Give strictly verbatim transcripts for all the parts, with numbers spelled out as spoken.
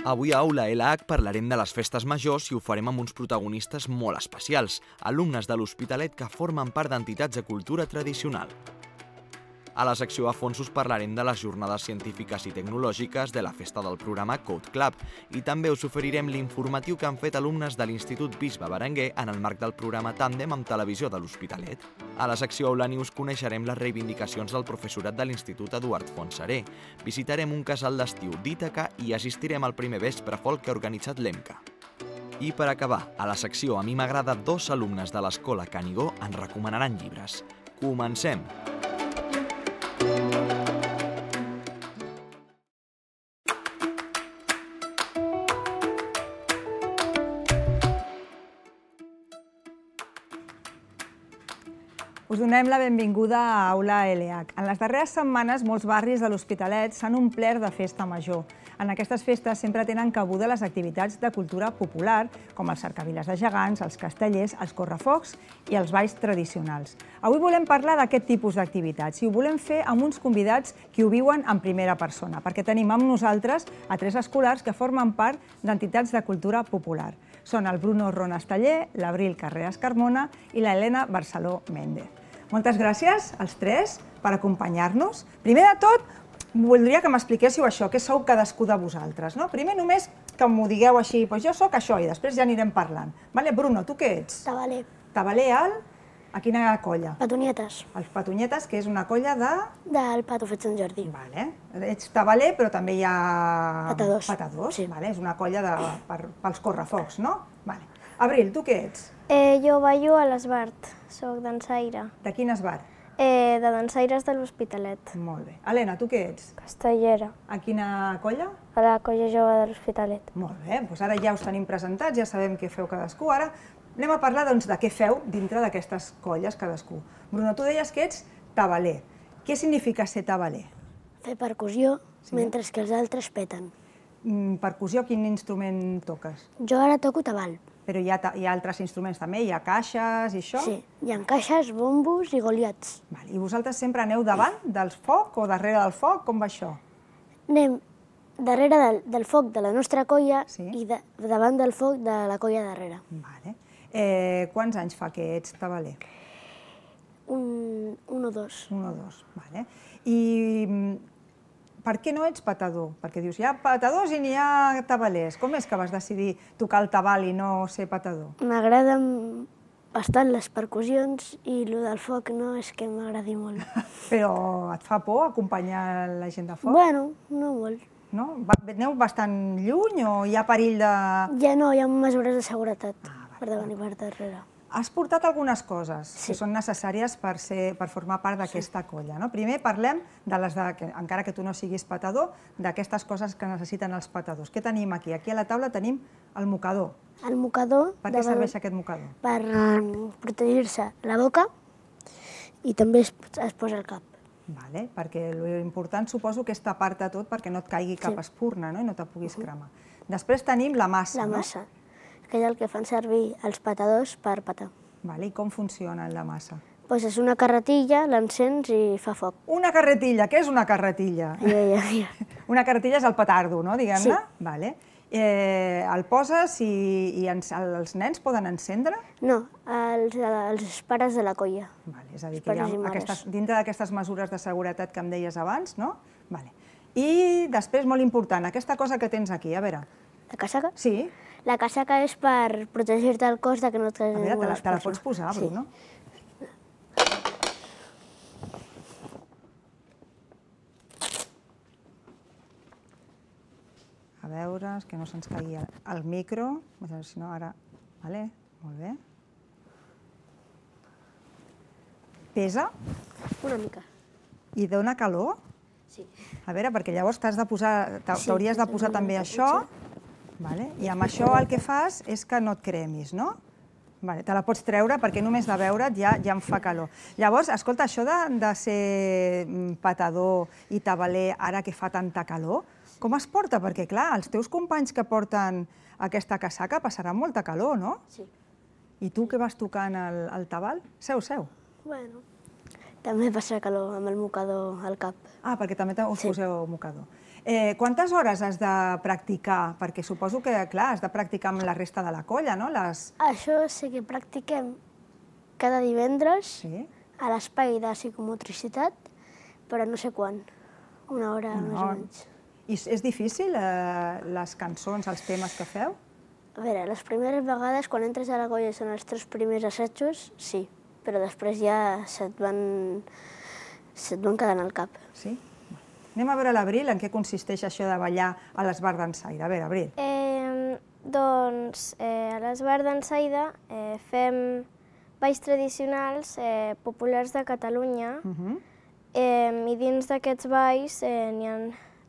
Avui a Aula L H parlarem de les festes majors i ho farem amb uns protagonistes molt especials, alumnes de l'Hospitalet que formen part d'entitats de cultura tradicional. A la secció a fons us parlarem de les jornades científiques i tecnològiques de la festa del programa Code Club i també us oferirem l'informatiu que han fet alumnes de l'Institut Bisbe Berenguer en el marc del programa Tàndem amb Televisió de l'Hospitalet. A la secció Aula News coneixerem les reivindicacions del professorat de l'Institut Eduard Fontserè, visitarem un casal d'estiu d'Ítaca i assistirem al primer vespre folk que ha organitzat l'E M C A. I per acabar, a la secció A mi m'agrada, dos alumnes de l'Escola Canigó ens recomanaran llibres. Comencem! Us donem la benvinguda a Aula L H. En les darreres setmanes, molts barris de l'Hospitalet s'han omplert de festa major. En aquestes festes sempre tenen cabuda les activitats de cultura popular, com els cercaviles de gegants, els castellers, els correfocs i els balls tradicionals. Avui volem parlar d'aquest tipus d'activitats i ho volem fer amb uns convidats que ho viuen en primera persona, perquè tenim amb nosaltres a tres escolars que formen part d'entitats de cultura popular. Són el Bruno Ronasteller, l'Abril Carreras Carmona i l'Helena Barceló Méndez. Moltes gràcies als tres per acompanyar-nos. Primer de tot, voldria que m'expliquéssiu això, què sou cadascú de vosaltres. Primer només que m'ho digueu així, doncs jo soc això i després ja anirem parlant. Bruno, tu què ets? Tabaler. Tabaler al... A quina colla? Patonyetes. Els Patonyetes, que és una colla de... Del Pato Fet Sant Jordi. Ets tabaler, però també hi ha... Patadors. Patadors, és una colla pels correfocs, no? Abril, tu què ets? Jo ballo a l'Esbart, soc dansaire. De quin esbart? De dansaires de l'Hospitalet. Molt bé. Helena, tu què ets? Castellera. A quina colla? A la colla jove de l'Hospitalet. Molt bé, doncs ara ja us tenim presentats, ja sabem què feu cadascú. Ara anem a parlar doncs, de què feu dintre d'aquestes colles cadascú. Bruno, tu deies que ets tabaler. Què significa ser tabaler? Fer percussió, mentre que els altres peten. Percussió, quin instrument toques? Jo ara toco tabal. Però hi ha altres instruments també? Hi ha caixes i això? Sí, hi ha caixes, bombos i goliats. I vosaltres sempre aneu davant del foc o darrere del foc? Com va això? Anem darrere del foc de la nostra colla i davant del foc de la colla darrere. Quants anys fa que ets tabaler? Un o dos. Un o dos, vale. I per què no ets patador? Perquè dius, hi ha patadors i n'hi ha tabalers. Com és que vas decidir tocar el tabal i no ser patador? M'agraden bastant les percussions i el del foc no és que m'agradi molt. Però et fa por acompanyar la gent de foc? Bueno, no molt. No? Aneu bastant lluny o hi ha perill de... Ja no, hi ha mesures de seguretat per davant i per darrere. Has portat algunes coses que són necessàries per formar part d'aquesta colla. Primer parlem, encara que tu no siguis patador, d'aquestes coses que necessiten els patadors. Què tenim aquí? Aquí a la taula tenim el mocador. El mocador... Per què serveix aquest mocador? Per protegir-se la boca i també es posa al cap. Perquè l'important suposo que és tapar-te tot perquè no et caigui cap espurna i no te puguis cremar. Després tenim la massa. La massa, que és el que fan servir els patadors per patar. I com funciona la massa? Doncs és una carretilla, l'encens i fa foc. Una carretilla, què és una carretilla? Una carretilla és el petardo, no, diguem-ne? Sí. El poses i els nens poden encendre? No, els pares de la colla. És a dir, que dintre d'aquestes mesures de seguretat que em deies abans, no? I després, molt important, aquesta cosa que tens aquí, a veure. La casaca? Sí. La casaca és per protegir-te el cos que no et caigui ningú a les persones. Te la pots posar, Bruno? A veure, que no se'ns caigui el micro. Si no, ara... Molt bé. Pesa? Una mica. I dona calor? Sí. A veure, perquè llavors t'hauries de posar també això. I amb això el que fas és que no et cremis, no? Te la pots treure perquè només de veure't ja em fa calor. Llavors, escolta, això de ser patador i tabaler ara que fa tanta calor, com es porta? Perquè, clar, els teus companys que porten aquesta casaca passaran molta calor, no? Sí. I tu que vas tocant el tabal? Seu, seu. Bueno, també passa calor amb el mocador al cap. Ah, perquè també us poseu mocador. Eh, quantes hores has de practicar? Perquè suposo que, clar, has de practicar amb la resta de la colla, no? Les... Això sí que practiquem cada divendres Sí. a l'espai de psicomotricitat, però no sé quan, una hora Una més o hora. menys. I és difícil, eh, les cançons, els temes que feu? A veure, les primeres vegades, quan entres a la colla i són els tres primers assajos, sí, però després ja se't van, se't van quedant al cap. Sí? Anem a veure l'Abril, en què consisteix això de ballar a l'Esbar d'Ensaire. A veure, Abril. Eh, doncs eh, a l'Esbar d'Ensaire eh, fem balls tradicionals eh, populars de Catalunya Uh -huh. eh, i dins d'aquests balls eh, n'hi ha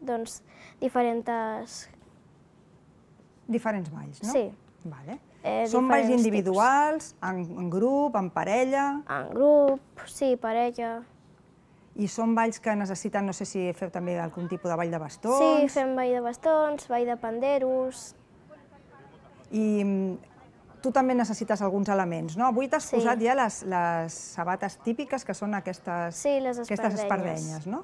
doncs, diferents... Diferents balls, no? Sí. Vale. Eh, Són balls diferents individuals, en, en grup, en parella, En grup, sí, parella... i són balls que necessiten, no sé si feu també algun tipus de ball de bastons. Sí, fem ball de bastons, ball de panderos... I mm, tu també necessites alguns elements, no? Avui t'has Sí. posat ja les, les sabates típiques, que són aquestes, Sí, les aquestes espardenyes. espardenyes, no?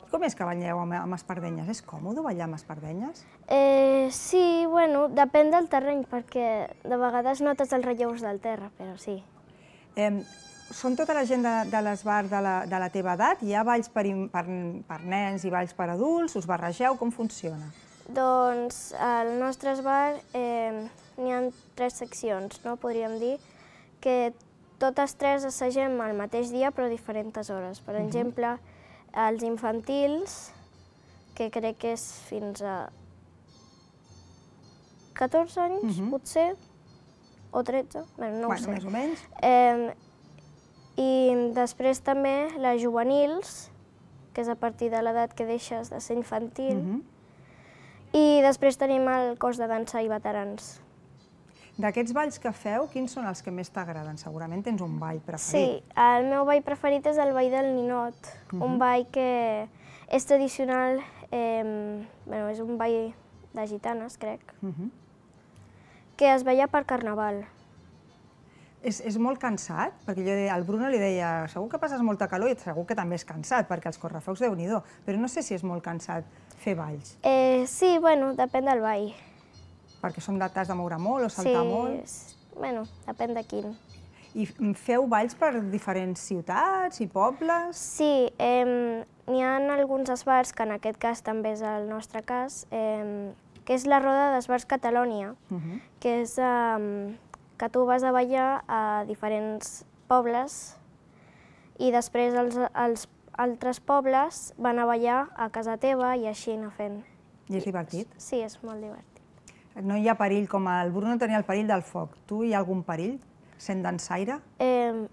I com és que balleu amb, amb espardenyes? És còmode ballar amb espardenyes? Eh, sí, bueno, depèn del terreny, perquè de vegades notes els relleus del terra, però sí. Eh, són tota la gent de, de l'esbar de, la, de la teva edat? Hi ha balls per, in- per, per nens i balls per adults? Us barregeu? Com funciona? Doncs al nostre esbar eh, n'hi ha tres seccions, no? Podríem dir que totes tres assagem al mateix dia però a diferents hores. Per exemple, els infantils, que crec que és fins a catorze anys, Mhm. potser, o tretze, bueno, no ho bueno, sé. més o menys. Eh, I després també les juvenils, que és a partir de l'edat que deixes de ser infantil. Mhm. I després tenim el cos de dansa i veterans. D'aquests balls que feu, quins són els que més t'agraden? Segurament tens un ball Sí, preferit. el meu ball preferit és el ball del ninot, un ball que és tradicional, eh, bueno, és un ball de gitanes, crec, Mhm. que es balla per carnaval. És, és molt cansat? Perquè jo deia, al Bruno li deia, segur que passes molta calor i segur que també és cansat, perquè els correfocs déu-n'hi-do, però no sé si és molt cansat fer balls, Eh, sí, bueno, depèn del ball. perquè són de t'has de moure molt o saltar sí, molt. és- bueno, depèn de quin. I f- feu balls per diferents ciutats i pobles? Sí, eh, n'hi ha alguns esbars, que en aquest cas també és el nostre cas, eh, que és la Roda d'Esbars Catalònia, Mhm. que és eh, que tu vas a ballar a diferents pobles i després els, els altres pobles van a ballar a casa teva i així anar fent. I és divertit? Sí, és molt divertit. No hi ha perill, com el Bruno tenia el perill del foc. Tu hi ha algun perill, sent dansaire? Eh,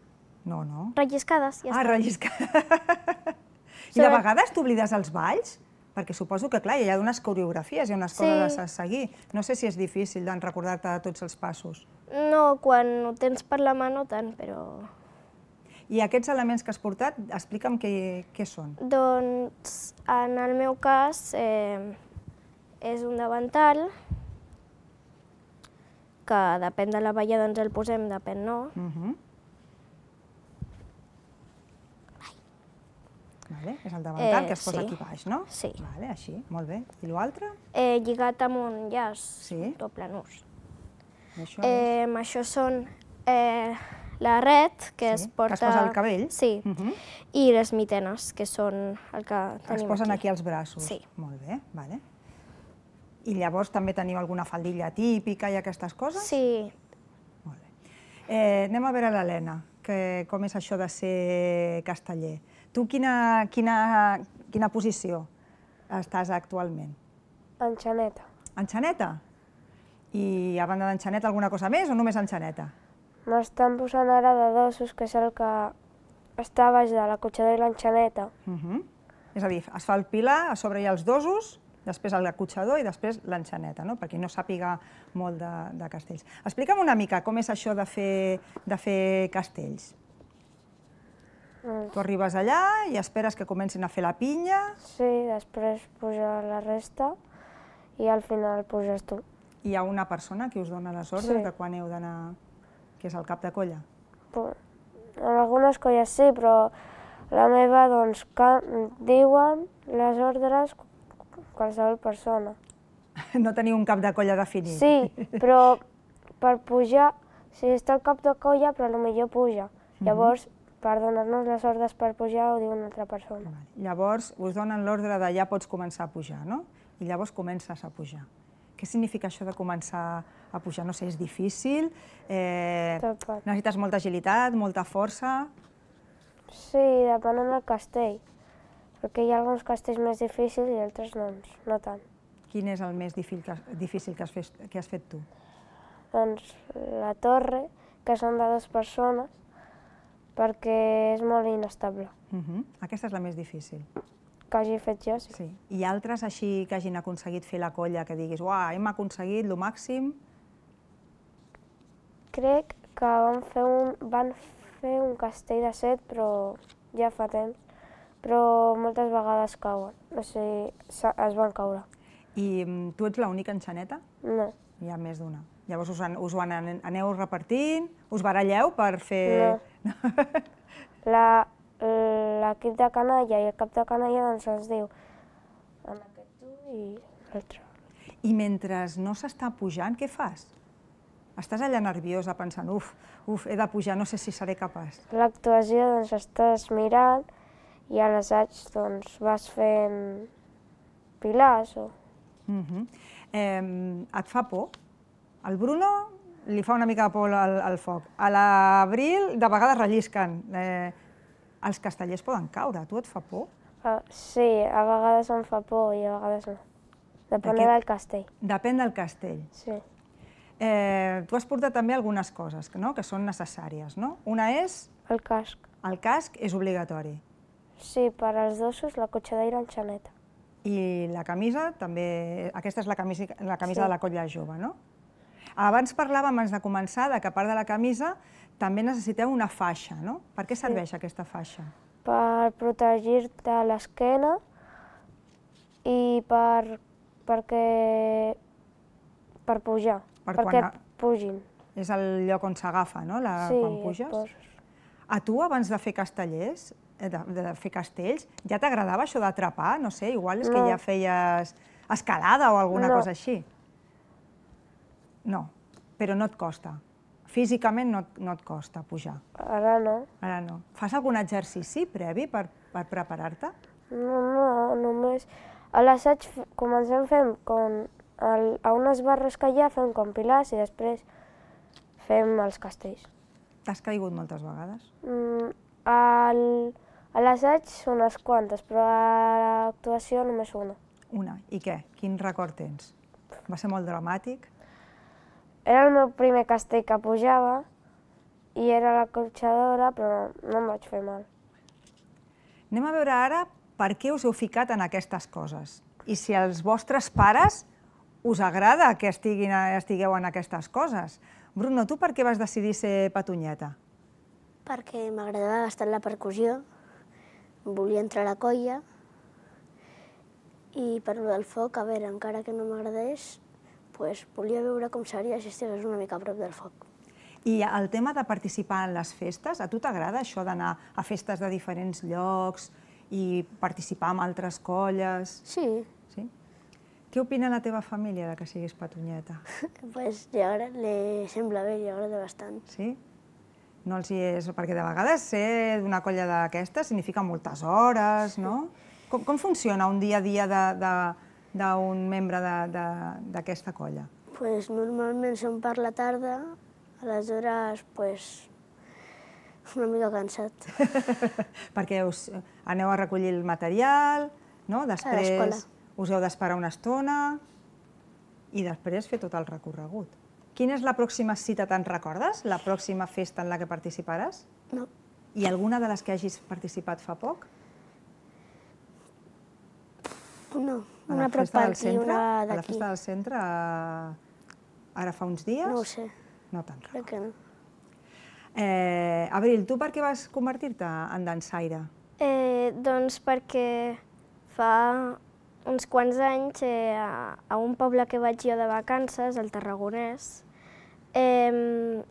No, no. relliscades, ja Ah, està. relliscar. I de Sobre- vegades t'oblides els balls? Perquè suposo que, clar, hi ha unes coreografies, hi ha unes Sí. coses a seguir. No sé si és difícil de recordar-te de tots els passos. No, quan ho tens per la mà no tant, però... I aquests elements que has portat, explica'm què, què són. Doncs, en el meu cas, eh, és un davantal, que depèn de la balla doncs el posem, depèn no. Uh -huh. Vale, és el davantal Eh, que es posa sí. aquí baix, no? Sí. Vale, així, molt bé. I l'altre? Eh, lligat amb un llaç, Sí. doble nus. I això és... Eh, això són eh, la red, que Sí, es que porta... es posa al cabell? Sí, Uh -huh. i les mitenes, que són el que tenim Es posen aquí aquí als braços. Sí. Molt bé, vale. I llavors també teniu alguna faldilla típica i aquestes coses? Sí, Molt bé. Eh, anem a veure l'Helena, que com és això de ser casteller. Tu quina, quina, quina posició estàs actualment? Enxaneta. Enxaneta? I a banda d'enxaneta alguna cosa més o només enxaneta? M'estan posant ara de dosos, que és el que està a baix de la cotxador i l'enxaneta. Uh -huh. És a dir, es fa el pilar, a sobre hi ha els dosos, després el acotxador i després l'enxaneta, no? Per qui no sàpiga molt de, de castells. Explica'm una mica com és això de fer, de fer castells. Tu arribes allà i esperes que comencin a fer la pinya Sí, després puja la resta i al final puges tu. i hi ha una persona que us dona les ordres Sí. de quan heu d'anar, que és el cap de colla. Pu- En algunes colles sí, però la meva, doncs, que diuen les ordres qualsevol persona. No teniu un cap de colla definit. Sí, però per pujar, sí, està el cap de colla, però potser puja. Llavors, per donar-nos les ordres per pujar, ho diu una altra persona. Llavors, us donen l'ordre de ja pots començar a pujar, no? I llavors comences a pujar. Què significa això de començar a pujar? No sé, és difícil? Necessites molta agilitat, molta força? Sí, depenent del castell. Perquè hi ha alguns castells més difícils i altres no tant. Quin és el més difícil que has fet tu? Doncs la torre, que són de dues persones, perquè és molt inestable. Aquesta és la més difícil? Que hagi fet jo, sí. I altres així que hagin aconseguit fer la colla, que diguis, uah, hem aconseguit el màxim? Crec que van fer un castell de set, però ja fa temps, però moltes vegades cauen, o sigui, es van caure. I tu ets l'única enxaneta? No. Hi ha més d'una. Llavors us ho aneu repartint? Us baralleu per fer... No. L'equip de canalla i el cap de canalla doncs ens diu en aquest tu i l'altre. I mentre no s'està pujant, què fas? Estàs allà nerviosa pensant, uf, uf, he de pujar, no sé si seré capaç. L'actuació, doncs, estàs mirant i a l'assaig, doncs, vas fent pilars o... Et fa por? Al Bruno li fa una mica de por al foc. A l'Abril de vegades rellisquen. Els castellers poden caure, a tu et fa por? Sí, a vegades em fa por i a vegades no. Depèn del castell. Depèn del castell. Sí. Tu has portat també algunes coses que són necessàries, no? Una és... El casc. El casc és obligatori. Sí, per als dosos, la cotxadera i l'enxaneta. I la camisa també... Aquesta és la camisa de la colla jove, no? Abans parlàvem, abans de començar, que a part de la camisa també necessiteu una faixa, no? Per què serveix aquesta faixa? Per protegir-te l'esquena i perquè... per pujar, perquè et pugin. És el lloc on s'agafa, no? Quan puges? Sí, a tu, abans de fer castellers, de fer castells, ja t'agradava això d'atrapar? No sé, igual és que ja feies escalada o alguna cosa així. No, però no et costa. Físicament no et costa pujar. Ara no. Ara no. Fas algun exercici previ per preparar-te? No, no, només... A l'assaig comencem fent com... A unes barres que hi ha fem com pilars i després fem els castells. T'has caigut moltes vegades? A l'assaig unes quantes, però a l'actuació només una. Una. I què? Quin record tens? Va ser molt dramàtic? Era el meu primer castell que pujava i era la cotxadora, però no em vaig fer mal. Anem a veure ara per què us heu ficat en aquestes coses i si als vostres pares us agrada que estigueu en aquestes coses. Bruno, tu per què vas decidir ser petonyeta? Perquè m'agradava bastant la percussió, volia entrar a la colla i per lo del foc, a veure, encara que no m'agradés, volia veure com seria si estigués una mica a prop del foc. I el tema de participar en les festes, a tu t'agrada això d'anar a festes de diferents llocs i participar en altres colles? Sí. Què opina la teva família de que siguis petonyeta? Doncs li sembla bé, li agrada bastant. Sí? No els hi és... Perquè de vegades ser d'una colla d'aquestes significa moltes hores, no? Com funciona un dia a dia d'un membre d'aquesta colla? Doncs normalment som per la tarda, aleshores una mica cansat. Perquè aneu a recollir el material, no? Després us heu d'esperar una estona i després fer tot el recorregut. Quina és la pròxima cita, te'n recordes? La pròxima festa en la que participaràs? No. I alguna de les que hagis participat fa poc? No, una prop per aquí, una d'aquí. A la festa del centre, ara fa uns dies? No ho sé. No te'n recordes. Crec que no. Abril, tu per què vas convertir-te en dansaire? Doncs perquè fa uns quants anys, a un poble que vaig jo de vacances, al Tarragonès, em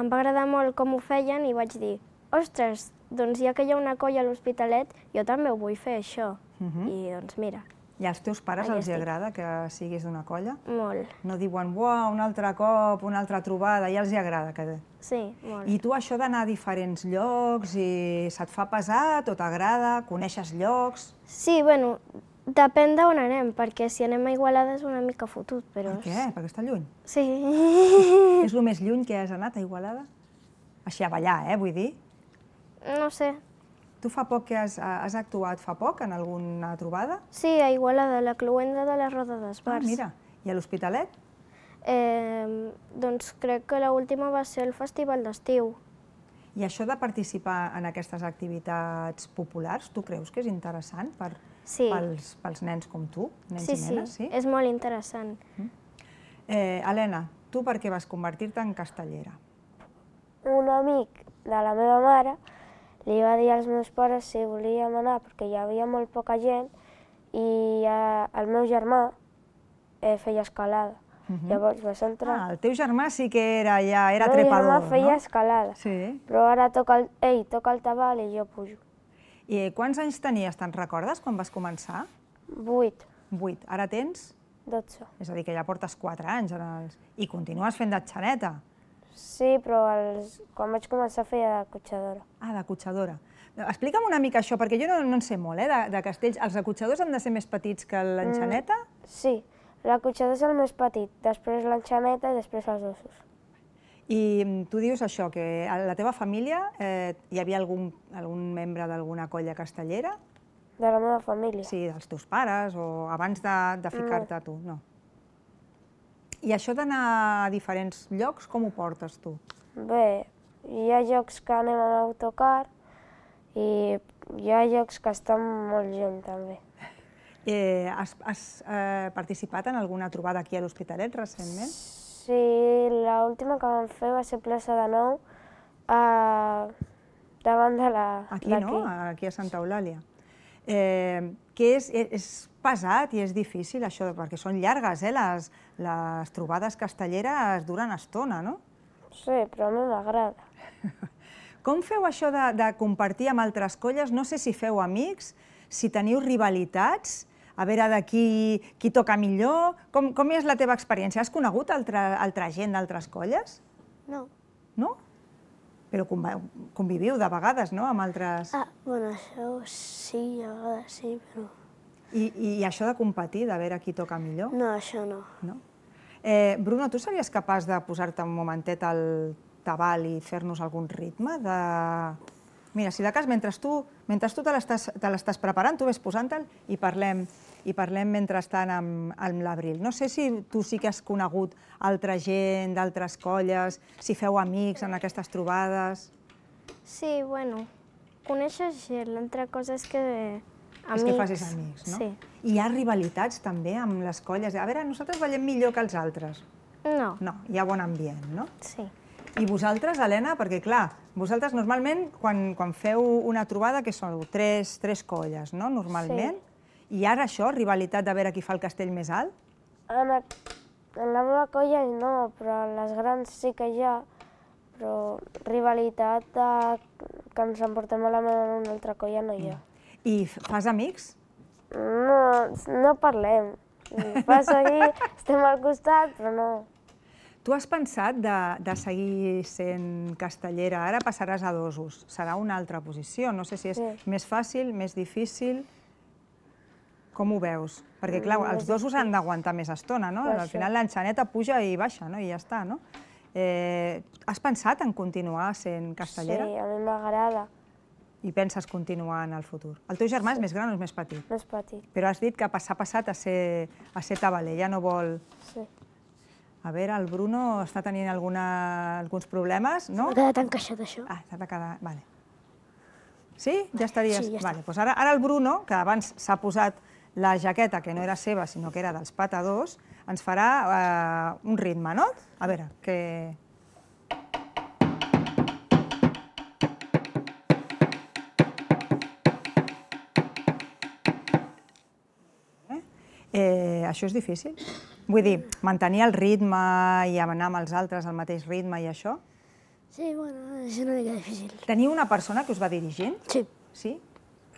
va agradar molt com ho feien i vaig dir, ostres, doncs ja que hi ha una colla a l'Hospitalet, jo també ho vull fer, això. I doncs mira, I als teus pares Aquí els estic. agrada que siguis d'una colla? Molt. No diuen, uau, un altre cop, una altra trobada, ja els hi agrada. Que... Sí, molt. I tu això d'anar a diferents llocs, i se't fa pesat o t'agrada? Coneixes llocs? Sí, bueno, depèn d'on anem, perquè si anem a Igualada és una mica fotut, però... Per què? Perquè està lluny. Sí. És el més lluny que has anat a Igualada? Així a ballar, eh, vull dir. No sé. Tu fa poc que has, has actuat fa poc en alguna trobada? Sí, a Igualada, la cloenda de la Roda Ah, d'Esbars. mira. I a l'Hospitalet? Eh, doncs crec que l'última va ser el festival d'estiu. I això de participar en aquestes activitats populars, tu creus que és interessant per, Sí. pels, pels nens com tu, nens Sí, i nenes? sí, és molt interessant. Eh, Helena, tu per què vas convertir-te en castellera? Un amic de la meva mare li va dir als meus pares si volíem anar perquè hi havia molt poca gent i eh, el meu germà eh, feia escalada. Mhm. Llavors vas entrar... Ah, el teu germà sí que era, ja, era el meu trepador, germà feia no? escalada, Sí. però ara toca el, ell toca el tabal i jo pujo. I quants anys tenies, te'n recordes, quan vas començar? Vuit, Vuit. Ara tens? dotze. És a dir, que ja portes quatre anys en els... i continues fent de xaneta. Sí, però els... quan vaig començar feia de cotxadora. Ah, de cotxadora. Explica'm una mica això, perquè jo no, no en sé molt, eh, de, de castells. Els acotxadors han de ser més petits que l'enxaneta? Mm, sí, la cotxadora és el més petit, després l'enxaneta i després els ossos. I tu dius això, que a la teva família eh, hi havia algun, algun membre d'alguna colla castellera? De la meva família. Sí, dels teus pares, o abans de, de ficar-te tu? No. I això d'anar a diferents llocs, com ho portes tu? Bé, hi ha llocs que anem amb autocar i hi ha llocs que estan molt lluny també. Eh, has has eh, participat en alguna trobada aquí a l'Hospitalet recentment? Sí, l'última que vam fer va ser plaça de Nou, a... davant de la... Aquí, d'aquí. no? Aquí a Santa Eulàlia. Eh, que és, és pesat i és difícil això, perquè són llargues, eh? Les, les trobades castelleres duren estona, no? Sí, però a mi m'agrada. Com feu això de, de compartir amb altres colles? No sé si feu amics, si teniu rivalitats, a veure de qui, qui toca millor. Com, com és la teva experiència? Has conegut altra, altra gent d'altres colles? No. No? Però conva- conviviu de vegades, no?, amb altres... Ah, bueno, això sí, a vegades sí, però... I, I això de competir, de veure qui toca millor? No, això no. No? Eh, Bruno, tu series capaç de posar-te un momentet al tabal i fer-nos algun ritme? De... Mira, si de cas, mentre tu, mentre tu te l'estàs te l'estàs preparant, tu ves posant-te'l i parlem, i parlem mentrestant amb, amb l'Abril. No sé si tu sí que has conegut altra gent d'altres colles, si feu amics en aquestes trobades... Sí, bueno, coneixes gent, l'altra cosa és que... Amics. És que facis amics, no? Sí. I hi ha rivalitats també amb les colles. A veure, nosaltres ballem millor que els altres. No, No, hi ha bon ambient, no? sí. I vosaltres, Helena, perquè clar, vosaltres normalment quan, quan feu una trobada, que són tres, tres colles, no?, normalment, i ara això, rivalitat de veure qui fa el castell més alt? En, a... en la meva colla no, però en les grans sí que hi ha, però rivalitat de... que ens emportem malament en una altra colla no hi ha. I fas amics? No, no parlem. Passa aquí, estem al costat, però no. Tu has pensat de, de seguir sent castellera, ara passaràs a dosos, serà una altra posició, no sé si és Sí. més fàcil, més difícil... Com ho veus? Perquè, clar, Mm, els més dosos han d'aguantar més estona, no? Per Al això. final l'enxaneta puja i baixa, no? I ja està, no? Eh, has pensat en continuar sent castellera? Sí, a mi m'agrada, I penses continuar en el futur? El teu germà és més gran o és més petit? més petit. Però has dit que s'ha passat a ser, a ser tabaler, ja no vol... Sí. A veure, el Bruno està tenint alguna, alguns problemes, no? M'ha quedat encaixat això. Ah, s'ha de quedar... Vale. Sí? Ja estaries... Sí, ja està. Vale, doncs ara, ara el Bruno, que abans s'ha posat la jaqueta, que no era seva, sinó que era dels patadors, ens farà eh, un ritme, no? A veure, que... Eh, això és difícil? Vull dir, mantenir el ritme i anar amb els altres al mateix ritme i això? Sí, bueno, és una mica difícil. Teniu una persona que us va dirigint? Sí, Sí?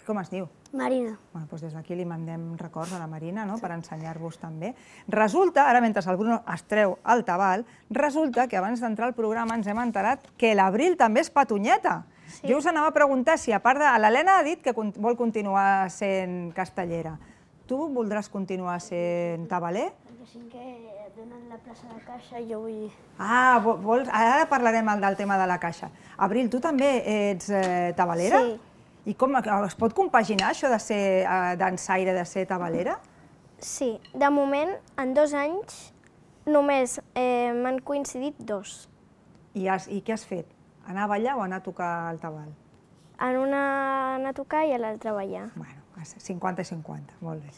Com es diu? Marina. Bueno, doncs des d'aquí li mandem records a la Marina, no?, per ensenyar-vos també. Resulta, ara mentre el Bruno es treu el tabal, resulta que abans d'entrar al programa ens hem enterat que l'Abril també és petonyeta. Jo us anava a preguntar si, a part de... L'Helena ha dit que vol continuar sent castellera. Tu voldràs continuar sent tabaler? Perquè sí que et donen la plaça de caixa i jo vull... Ah, vols... Ara parlarem del tema de la caixa. Abril, tu també ets tabalera? Sí. I com es pot compaginar això de ser dansaire, de ser tabalera? Sí, de moment, en dos anys, només m'han coincidit dos. I què has fet? Anar a ballar o anar a tocar el tabal? En una anar a tocar i a l'altra a ballar. Bueno, cinquanta i cinquanta, molt bé.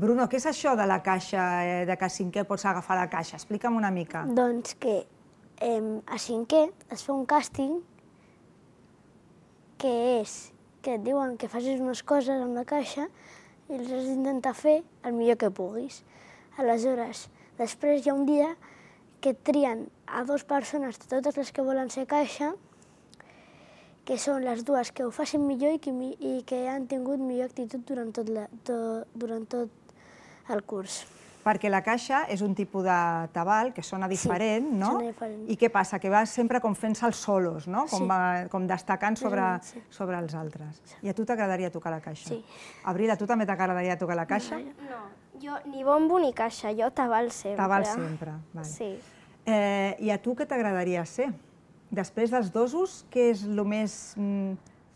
Bruno, què és això de la caixa, de que a cinquè pots agafar la caixa? Explica'm una mica. Doncs que a cinquè es fa un càsting que és que et diuen que facis unes coses amb la caixa i les has d'intentar fer el millor que puguis. Aleshores, després hi ha un dia que trien a dues persones de totes les que volen ser caixa, que són les dues que ho facin millor i que han tingut millor actitud durant tot el curs. Perquè la caixa és un tipus de tabal que sona diferent, no? Sí, sona diferent. I què passa? Que vas sempre com fent-se els solos, no? Com destacant sobre els altres. I a tu t'agradaria tocar la caixa? Sí. Abril, a tu també t'agradaria tocar la caixa? No, jo ni bombo ni caixa, jo tabal sempre. Tabal sempre, val. Sí. I a tu què t'agradaria ser? Després dels dosos, què és el més...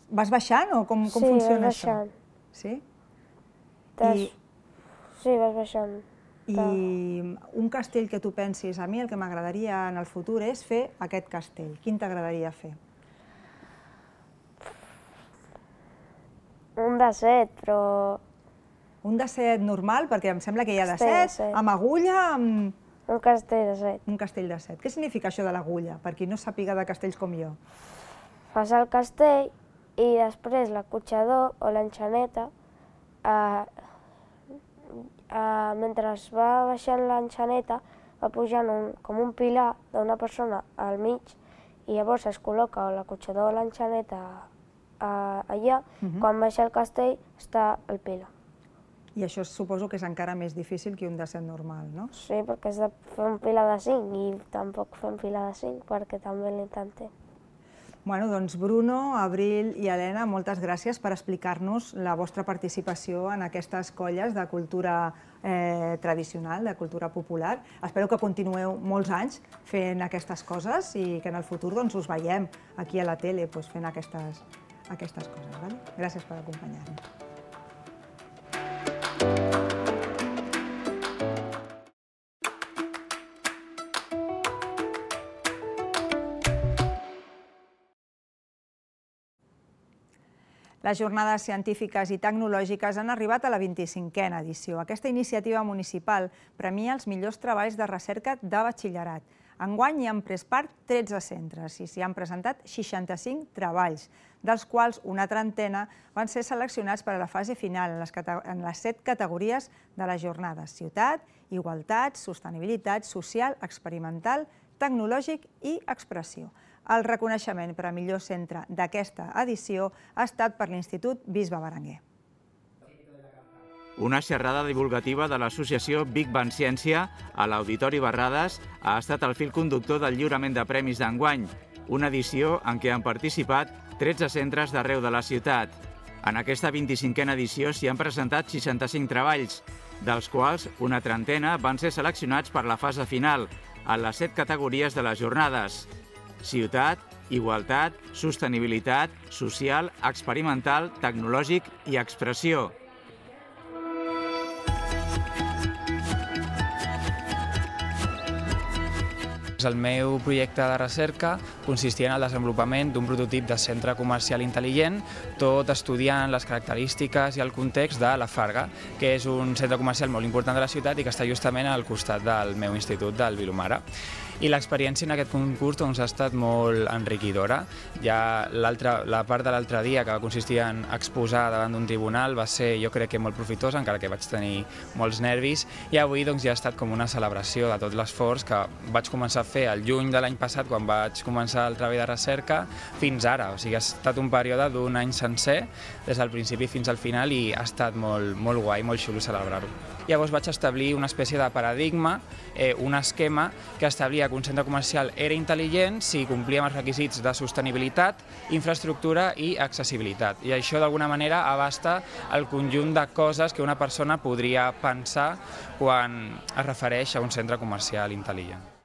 Vas baixant o com funciona això? Sí, Sí? vas baixant. Sí, vas baixant. I un castell que tu pensis, a mi el que m'agradaria en el futur és fer aquest castell. Quin t'agradaria fer? Un de set, però... Un de set normal, perquè em sembla que hi ha de Castell de set, set. amb agulla, amb... Un castell de set. Un castell de set. Què significa això de l'agulla, per qui no sàpiga de castells com jo? Fas el castell i després l'acotxador o l'enxaneta, mentre es va baixant l'enxaneta, va pujant com un pilar d'una persona al mig i llavors es col·loca l'acotxador o l'enxaneta allà, quan baixa el castell està el pilar. I això suposo que és encara més difícil que un de set normal, no? Sí, perquè has de fer un pilar de cinc i tampoc fem pilar de cinc perquè també l'intentem. Bueno, doncs Bruno, Abril i Helena, moltes gràcies per explicar-nos la vostra participació en aquestes colles de cultura tradicional, de cultura popular. Espero que continueu molts anys fent aquestes coses i que en el futur us veiem aquí a la tele fent aquestes coses. Gràcies per acompanyar-nos. Les jornades científiques i tecnològiques han arribat a la vint-i-cinquena edició. Aquesta iniciativa municipal premia els millors treballs de recerca de batxillerat. Enguany hi han pres part tretze centres i s'hi han presentat seixanta-cinc treballs, dels quals una trentena van ser seleccionats per a la fase final en les set categories de les jornades: ciutat, igualtat, sostenibilitat, social, experimental, tecnològic i expressió. El reconeixement per a millor centre d'aquesta edició ha estat per l'Institut Bisbe Berenguer. Una xerrada divulgativa de l'associació Big Bang Ciència a l'Auditori Barrades ha estat el fil conductor del lliurament de premis d'enguany, una edició en què han participat tretze centres d'arreu de la ciutat. En aquesta vint-i-cinquena edició s'hi han presentat seixanta-cinc treballs, dels quals una trentena van ser seleccionats per la fase final, en les set categories de les jornades: ciutat, igualtat, sostenibilitat, social, experimental, tecnològic i expressió. El meu projecte de recerca consistia en el desenvolupament d'un prototip de centre comercial intel·ligent, tot estudiant les característiques i el context de la Farga, que és un centre comercial molt important de la ciutat i que està justament al costat del meu institut, del Vilomara. I l'experiència en aquest concurs doncs, ha estat molt enriquidora. Ja la part de l'altre dia, que va consistir en exposar davant d'un tribunal, va ser, jo crec que molt profitosa, encara que vaig tenir molts nervis, i avui doncs, ja ha estat com una celebració de tot l'esforç que vaig començar a fer el juny de l'any passat, quan vaig començar el treball de recerca, fins ara. O sigui, ha estat un període d'un any sencer, des del principi fins al final, i ha estat molt, molt guai, molt xulo celebrar-ho. Llavors vaig establir una espècie de paradigma, eh, un esquema que establia que un centre comercial era intel·ligent si complia amb els requisits de sostenibilitat, infraestructura i accessibilitat. I això d'alguna manera abasta el conjunt de coses que una persona podria pensar quan es refereix a un centre comercial intel·ligent.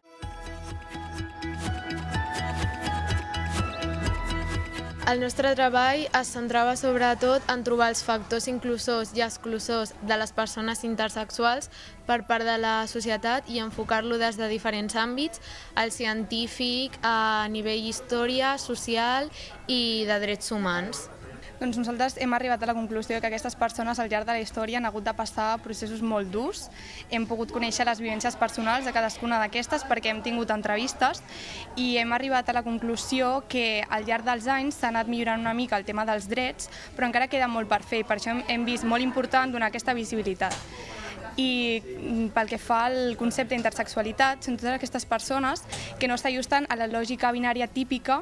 El nostre treball es centrava sobretot en trobar els factors inclusors i exclusors de les persones intersexuals per part de la societat i enfocar-lo des de diferents àmbits, el científic, a nivell història, social i de drets humans. Doncs nosaltres hem arribat a la conclusió que aquestes persones al llarg de la història han hagut de passar processos molt durs. Hem pogut conèixer les vivències personals de cadascuna d'aquestes perquè hem tingut entrevistes i hem arribat a la conclusió que al llarg dels anys s'ha anat millorant una mica el tema dels drets, però encara queda molt per fer i per això hem vist molt important donar aquesta visibilitat. I pel que fa al concepte d'intersexualitat, són totes aquestes persones que no s'ajusten a la lògica binària típica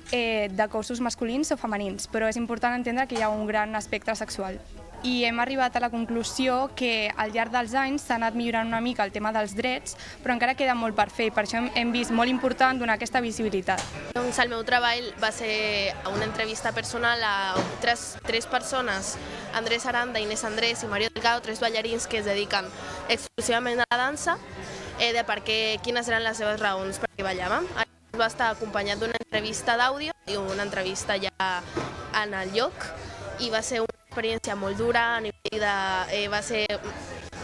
de cossos masculins o femenins, però és important entendre que hi ha un gran aspecte sexual. I hem arribat a la conclusió que al llarg dels anys s'ha anat millorant una mica el tema dels drets, però encara queda molt per fer i per això hem vist molt important donar aquesta visibilitat. Doncs el meu treball va ser una entrevista personal a tres, tres persones, Andrés Aranda, Inés Andrés i Mario Delgado, tres ballarins que es dediquen exclusivament a la dansa, eh, de per què, quines eren les seves raons per què ballaven. Va estar acompanyat d'una entrevista d'àudio i una entrevista ja en el lloc i va ser una experiència molt dura, a nivell de, eh, va ser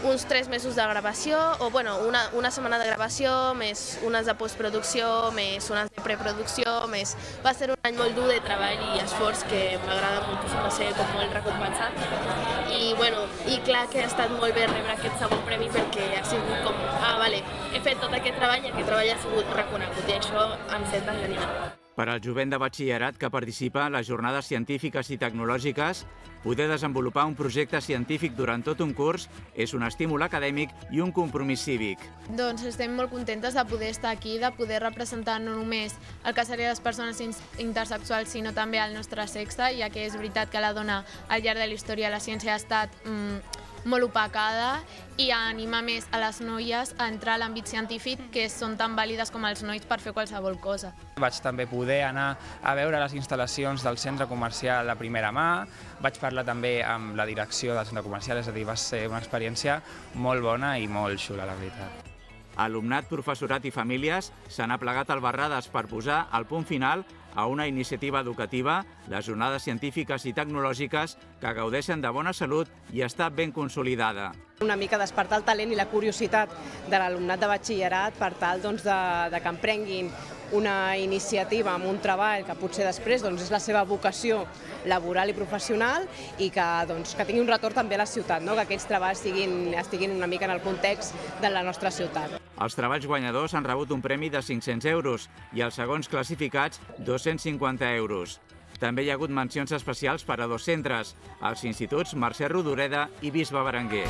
uns tres mesos de gravació, o bueno, una, una setmana de gravació, més unes de postproducció, més unes de preproducció, més... Va ser un any molt dur de treball i esforç que m'agrada moltíssim, va ser com molt recompensat. I, bueno, i clar que ha estat molt bé rebre aquest segon premi perquè ha sigut com, ah, vale, he fet tot aquest treball i aquest treball ha sigut reconegut i això em senta genial. Per al jovent de batxillerat que participa en les jornades científiques i tecnològiques, poder desenvolupar un projecte científic durant tot un curs és un estímul acadèmic i un compromís cívic. Doncs estem molt contentes de poder estar aquí, de poder representar no només el que serien les persones intersexuals, sinó també el nostre sexe, ja que és veritat que la dona al llarg de la història la ciència ha estat mm, molt opacada i anima més a les noies a entrar a l'àmbit científic, que són tan vàlides com els nois per fer qualsevol cosa. Vaig també poder anar a veure les instal·lacions del centre comercial a primera mà, vaig parlar també amb la direcció del centre comercial, és a dir, va ser una experiència molt bona i molt xula, la veritat. Alumnat, professorat i famílies s'han aplegat al Barrades per posar el punt final a una iniciativa educativa, les jornades científiques i tecnològiques que gaudeixen de bona salut i està ben consolidada. Una mica despertar el talent i la curiositat de l'alumnat de batxillerat per tal doncs, de, de que emprenguin una iniciativa amb un treball que potser després doncs, és la seva vocació laboral i professional i que, doncs, que tingui un retorn també a la ciutat, no? Que aquests treballs estiguin, estiguin una mica en el context de la nostra ciutat. Els treballs guanyadors han rebut un premi de cinc-cents euros i els segons classificats dos-cents cinquanta euros. També hi ha hagut mencions especials per a dos centres, els instituts Mercè Rodoreda i Bisbe Berenguer.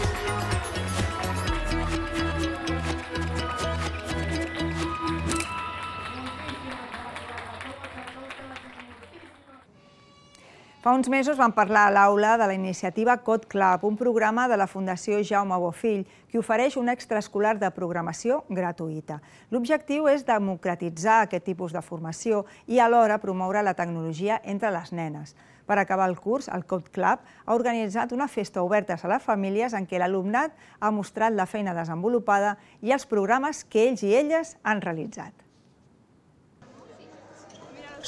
Fa uns mesos vam parlar a l'aula de la iniciativa Code Club, un programa de la Fundació Jaume Bofill que ofereix un extraescolar de programació gratuïta. L'objectiu és democratitzar aquest tipus de formació i alhora promoure la tecnologia entre les nenes. Per acabar el curs, el Code Club ha organitzat una festa oberta a les famílies en què l'alumnat ha mostrat la feina desenvolupada i els programes que ells i elles han realitzat.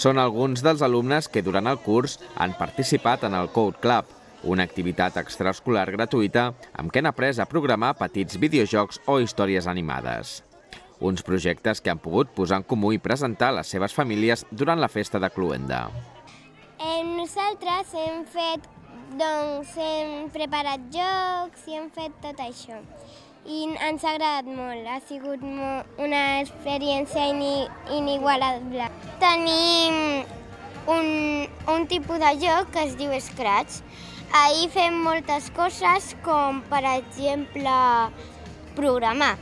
Són alguns dels alumnes que durant el curs han participat en el Code Club, una activitat extraescolar gratuïta amb què han après a programar petits videojocs o històries animades. Uns projectes que han pogut posar en comú i presentar a les seves famílies durant la festa de Cluenda. Nosaltres hem fet, doncs, hem preparat jocs i hem fet tot això. i ens ha agradat molt. Ha sigut una experiència inigualable. Tenim un, un tipus de joc que es diu Scratch. Ahir fem moltes coses com, per exemple, programar.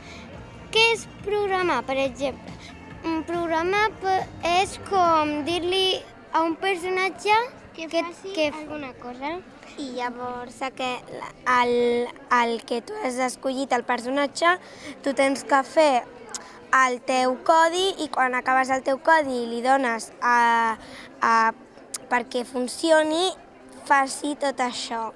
Què és programar, per exemple? Programar és com dir-li a un personatge que faci que, alguna cosa. I llavors que el, el que tu has escollit, el personatge, tu tens que fer el teu codi i quan acabes el teu codi li dones a, a, perquè funcioni, faci tot això.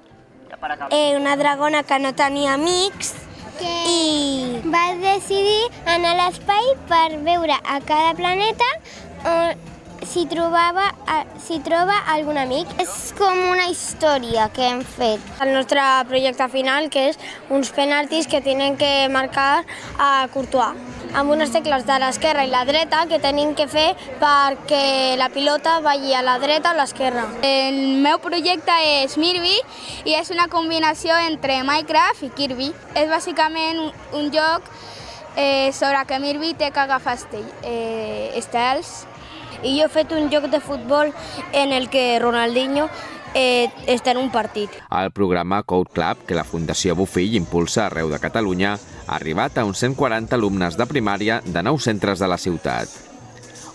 Eh, una dragona que no tenia amics i va decidir anar a l'espai per veure a cada planeta si trobava, si troba algun amic. És com una història que hem fet. El nostre projecte final, que és uns penaltis que tenen que marcar a Courtois, amb unes tecles de l'esquerra i la dreta que tenim que fer perquè la pilota vagi a la dreta o a l'esquerra. El meu projecte és Mirvi i és una combinació entre Minecraft i Kirby. És bàsicament un, un joc eh, sobre que Mirvi té que agafar eh, estels. I jo he fet un joc de futbol en el que Ronaldinho eh, està en un partit. El programa Code Club, que la Fundació Bofill impulsa arreu de Catalunya, ha arribat a uns cent quaranta alumnes de primària de nou centres de la ciutat.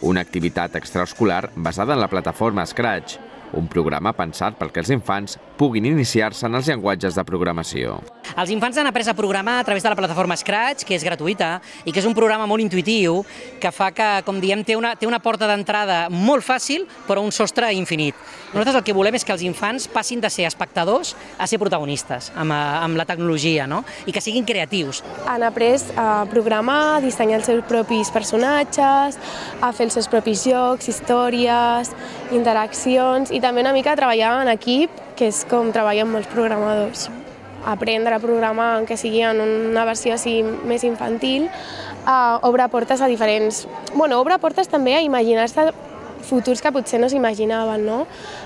Una activitat extraescolar basada en la plataforma Scratch, un programa pensat perquè els infants puguin iniciar-se en els llenguatges de programació. Els infants han après a programar a través de la plataforma Scratch, que és gratuïta i que és un programa molt intuïtiu que fa que, com diem, té una, té una porta d'entrada molt fàcil però un sostre infinit. Nosaltres el que volem és que els infants passin de ser espectadors a ser protagonistes amb, amb la tecnologia, no? I que siguin creatius. Han après a programar, a dissenyar els seus propis personatges, a fer els seus propis jocs, històries, interaccions i també una mica a treballar en equip, que és com treballen molts programadors. Aprendre a programar, que sigui en una versió així més infantil, uh, obre portes a diferents... Bueno, obre portes també a imaginar-se futurs que potser no s'imaginaven, no?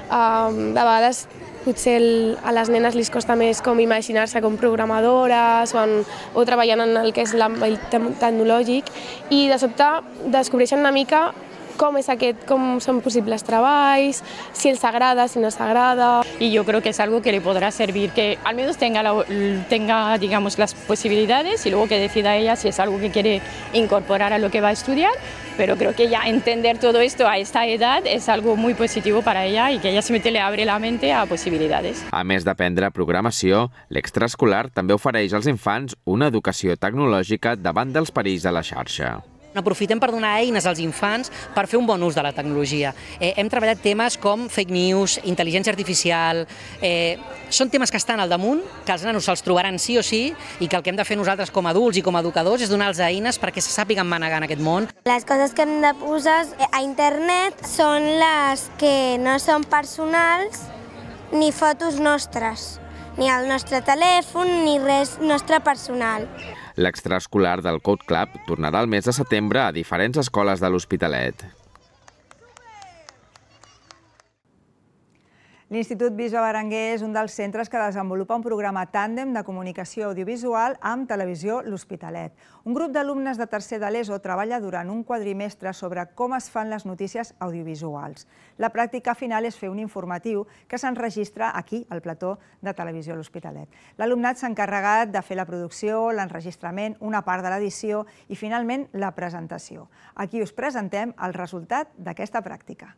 Uh, de vegades potser el, a les nenes li costa més com imaginar-se com programadores o, en, o treballant en el que és l'àmbit tecnològic i de sobte descobreixen una mica com és aquest, com son posibles treballs, si els agrada, si no s'agrada. Y yo creo que es algo que le podrá servir, que al menos tenga, la, tenga digamos, las posibilidades y luego que decida ella si es algo que quiere incorporar a lo que va a estudiar, pero creo que ya entender todo esto a esta edad es algo muy positivo para ella y que ella simplemente le abre la mente a posibilidades. A més d'aprendre programació, l'extraescolar també ofereix als infants una educació tecnològica davant dels perills de la xarxa. Aprofitem per donar eines als infants per fer un bon ús de la tecnologia. Eh, hem treballat temes com fake news, intel·ligència artificial... Eh, són temes que estan al damunt, que els nanos se'ls trobaran sí o sí i que el que hem de fer nosaltres com a adults i com a educadors és donar-los eines perquè se sàpiguen manegar en aquest món. Les coses que hem de posar a internet són les que no són personals ni fotos nostres, ni el nostre telèfon, ni res nostre personal. L'extraescolar del Code Club tornarà el mes de setembre a diferents escoles de l'Hospitalet. L'Institut Bisbe Berenguer és un dels centres que desenvolupa un programa tàndem de comunicació audiovisual amb Televisió L'Hospitalet. Un grup d'alumnes de tercer de l'ESO treballa durant un quadrimestre sobre com es fan les notícies audiovisuals. La pràctica final és fer un informatiu que s'enregistra aquí, al plató de Televisió L'Hospitalet. L'alumnat s'ha encarregat de fer la producció, l'enregistrament, una part de l'edició i, finalment, la presentació. Aquí us presentem el resultat d'aquesta pràctica.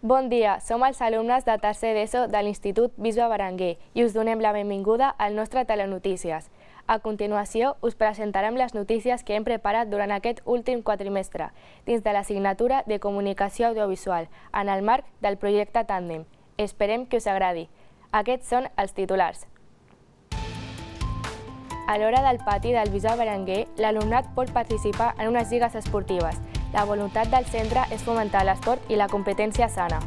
Bon dia, som els alumnes de tercer d'ESO de l'Institut Bisbe Berenguer i us donem la benvinguda al nostre Telenotícies. A continuació, us presentarem les notícies que hem preparat durant aquest últim quadrimestre, dins de l'assignatura de Comunicació Audiovisual, en el marc del projecte Tàndem. Esperem que us agradi. Aquests són els titulars. A l'hora del pati del Bisbe Berenguer, l'alumnat pot participar en unes lligues esportives. La voluntat del centre és fomentar l'esport i la competència sana.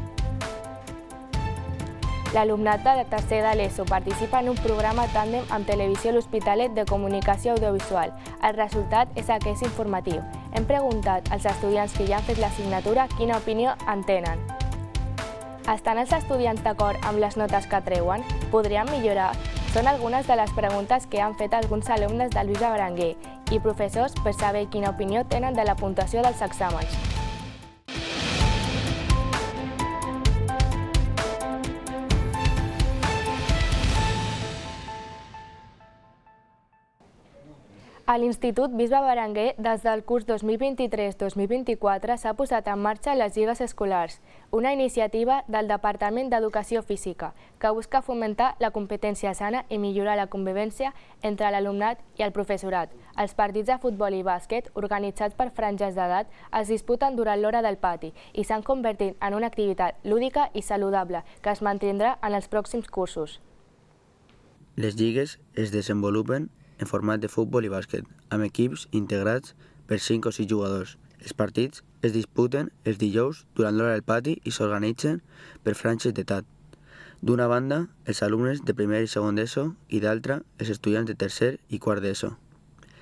L'alumnat de tercer de l'ESO participa en un programa tàndem amb Televisió L'Hospitalet de Comunicació Audiovisual. El resultat és aquest informatiu. Hem preguntat als estudiants que ja han fet l'assignatura quina opinió en tenen. Estan els estudiants d'acord amb les notes que treuen? Podrien millorar? Són algunes de les preguntes que han fet alguns alumnes del Bisbe Berenguer i professors per saber quina opinió tenen de la puntuació dels exàmens. A l'Institut Bisbe Berenguer, des del curs dos mil vint-i-tres dos mil vint-i-quatre, s'ha posat en marxa les lligues escolars, una iniciativa del Departament d'Educació Física que busca fomentar la competència sana i millorar la convivència entre l'alumnat i el professorat. Els partits de futbol i bàsquet, organitzats per franges d'edat, es disputen durant l'hora del pati i s'han convertit en una activitat lúdica i saludable que es mantindrà en els pròxims cursos. Les lligues es desenvolupen en format de futbol i bàsquet, amb equips integrats per cinc o sis jugadors. Els partits es disputen els dijous durant l'hora del pati i s'organitzen per franges d'edat. D'una banda, els alumnes de primer i segon d'ESO i d'altra, els estudiants de tercer i quart d'ESO.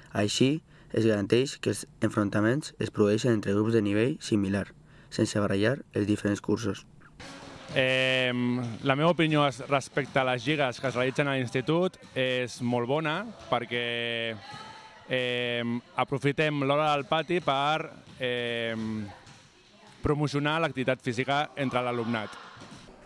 Així, es garanteix que els enfrontaments es produeixen entre grups de nivell similar, sense barallar els diferents cursos. Eh, la meva opinió respecte a les lligues que es realitzen a l'institut és molt bona perquè eh, aprofitem l'hora del pati per eh, promocionar l'activitat física entre l'alumnat.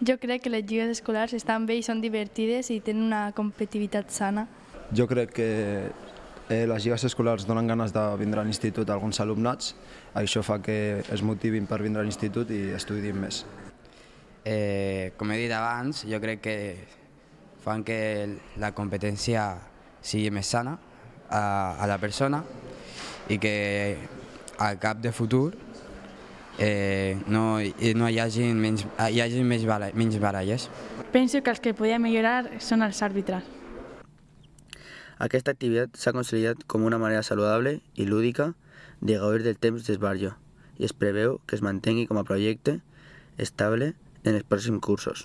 Jo crec que les lligues escolars estan bé i són divertides i tenen una competitivitat sana. Jo crec que eh, les lligues escolars donen ganes de vindre a l'institut a alguns alumnats. Això fa que es motivin per vindre a l'institut i estudien més. Eh, com he dit abans, jo crec que fan que la competència sigui més sana a, a la persona i que al cap de futur eh, no, no hi hagi menys, hi hagi menys, baralles, menys baralles. Penso que els que podien millorar són els àrbitres. Aquesta activitat s'ha consolidat com una manera saludable i lúdica de gaudir del temps d'esbarjo i es preveu que es mantengui com a projecte estable en els pròxims cursos.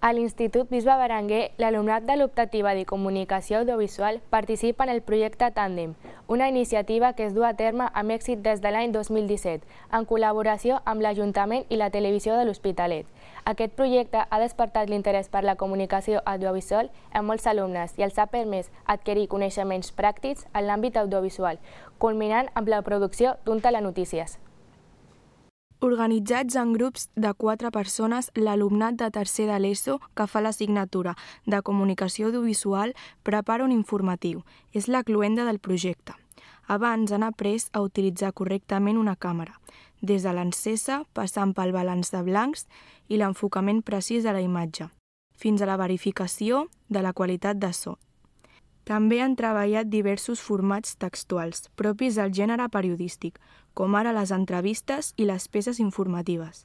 A l'Institut Bisbe Berenguer, l'alumnat de l'optativa de Comunicació Audiovisual participa en el projecte Tàndem, una iniciativa que es du a terme amb èxit des de l'any dos mil disset, en col·laboració amb l'Ajuntament i la Televisió de l'Hospitalet. Aquest projecte ha despertat l'interès per la comunicació audiovisual en molts alumnes i els ha permès adquirir coneixements pràctics en l'àmbit audiovisual, culminant amb la producció d'un telenotícies. Organitzats en grups de quatre persones, l'alumnat de tercer de l'ESO que fa l'assignatura de Comunicació Audiovisual prepara un informatiu. És la cloenda del projecte. Abans han après a utilitzar correctament una càmera, des de l'encesa, passant pel balanç de blancs i l'enfocament precís de la imatge, fins a la verificació de la qualitat de so. També han treballat diversos formats textuals, propis del gènere periodístic, com ara les entrevistes i les peces informatives.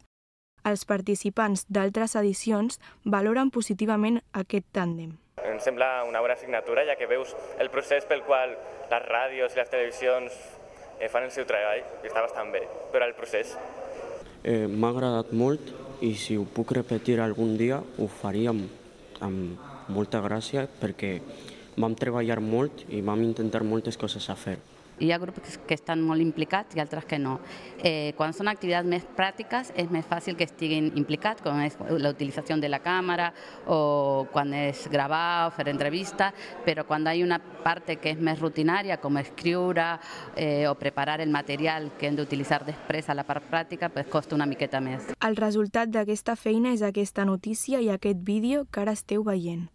Els participants d'altres edicions valoren positivament aquest tàndem. Em sembla una bona assignatura, ja que veus el procés pel qual les ràdios i les televisions fan el seu treball, i està bastant bé, però el procés. Eh, M'ha agradat molt i si ho puc repetir algun dia ho faria amb, amb molta gràcia perquè vam treballar molt i vam intentar moltes coses a fer. Hi ha grups que estan molt implicats i altres que no. Eh, quan són activitats més pràctiques és més fàcil que estiguin implicats, com és la utilització de la càmera o quan és gravar o fer entrevista, però quan hi ha una part que és més rutinària, com escriure eh, o preparar el material que hem d'utilitzar després a la part pràctica, pues costa una miqueta més. El resultat d'aquesta feina és aquesta notícia i aquest vídeo que ara esteu veient.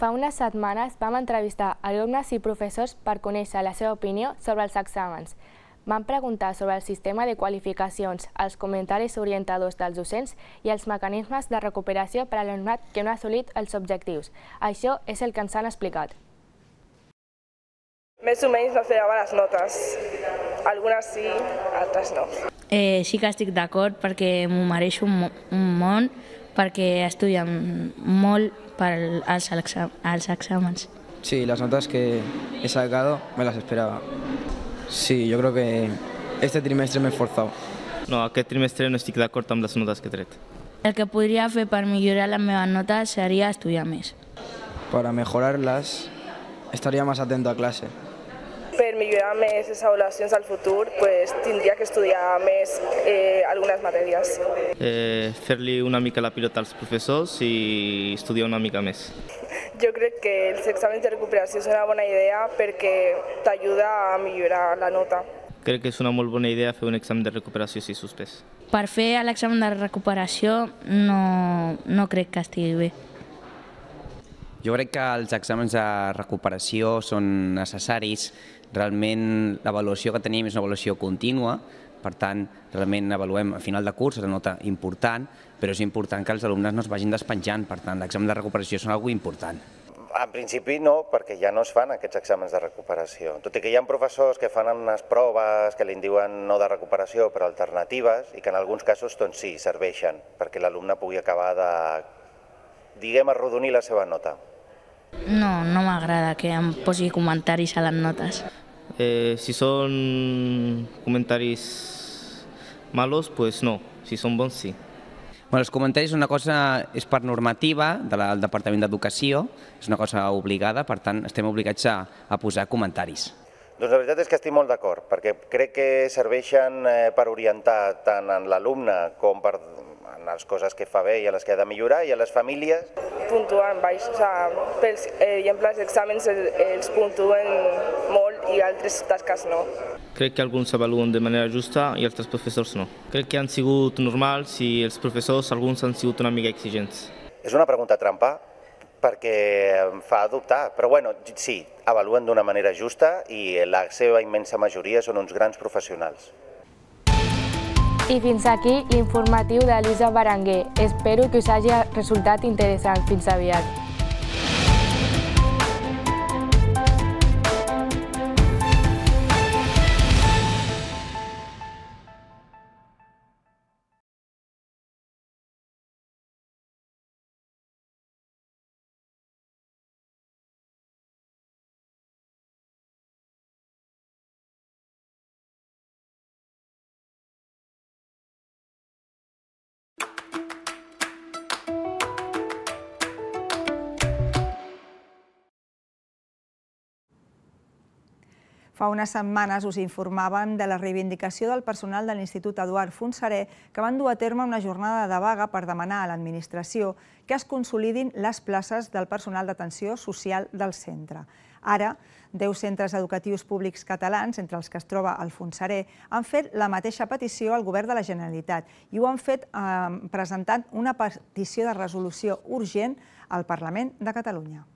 Fa unes setmanes vam entrevistar alumnes i professors per conèixer la seva opinió sobre els exàmens. Van preguntar sobre el sistema de qualificacions, els comentaris orientadors dels docents i els mecanismes de recuperació per a l'alumnat que no ha assolit els objectius. Això és el que ens han explicat. Més o menys no feia les notes. Algunes sí, altres no. Eh, sí que estic d'acord perquè m'ho mereixo un, un món, perquè estudien molt per als, exam als exàmens. Sí, las notas que he sacado me las esperaba. Sí, yo creo que este trimestre me he esforzado. No, aquest trimestre no estic d'acord amb les notes que he tret. El que podria fer per millorar les meves notes seria estudiar més. Para mejorarlas, estaría más atento a clase. Per millorar més les avaluacions al futur, pues, tindria que estudiar més eh, algunes matèries. Eh, Fer-li una mica la pilota als professors i estudiar una mica més. Jo crec que els exàmens de recuperació són una bona idea perquè t'ajuda a millorar la nota. Crec que és una molt bona idea fer un examen de recuperació si suspès. Per fer l'examen de recuperació no, no crec que estigui bé. Jo crec que els exàmens de recuperació són necessaris. Realment l'avaluació que tenim és una avaluació contínua, per tant, realment avaluem a final de curs, és una nota important, però és important que els alumnes no es vagin despenjant, per tant, l'examen de recuperació és una cosa important. En principi no, perquè ja no es fan aquests exàmens de recuperació. Tot i que hi ha professors que fan unes proves que li diuen no de recuperació, però alternatives, i que en alguns casos doncs, sí, serveixen perquè l'alumne pugui acabar de, diguem, arrodonir la seva nota. No, no m'agrada que em posi comentaris a les notes. Eh, si són comentaris malos, pues no. Si són bons, sí. Bueno, els comentaris una cosa és per normativa del Departament d'Educació, és una cosa obligada, per tant estem obligats a, a posar comentaris. Doncs la veritat és que estic molt d'acord, perquè crec que serveixen per orientar tant en l'alumne com per en les coses que fa bé i a les que ha de millorar, i a les famílies. Puntuen baix, o sigui, per exemple, els exàmens els puntuen molt i altres tasques no. Crec que alguns s'avaluen de manera justa i altres professors no. Crec que han sigut normals i els professors, alguns han sigut una mica exigents. És una pregunta trampa perquè em fa dubtar, però bueno, sí, avaluen d'una manera justa i la seva immensa majoria són uns grans professionals. I fins aquí l'informatiu d'Elisa Berenguer. Espero que us hagi resultat interessant. Fins aviat. Fa unes setmanes us informàvem de la reivindicació del personal de l'Institut Eduard Fontserè que van dur a terme una jornada de vaga per demanar a l'administració que es consolidin les places del personal d'atenció social del centre. Ara, deu centres educatius públics catalans, entre els que es troba el Fontserè, han fet la mateixa petició al Govern de la Generalitat i ho han fet eh, presentant una petició de resolució urgent al Parlament de Catalunya.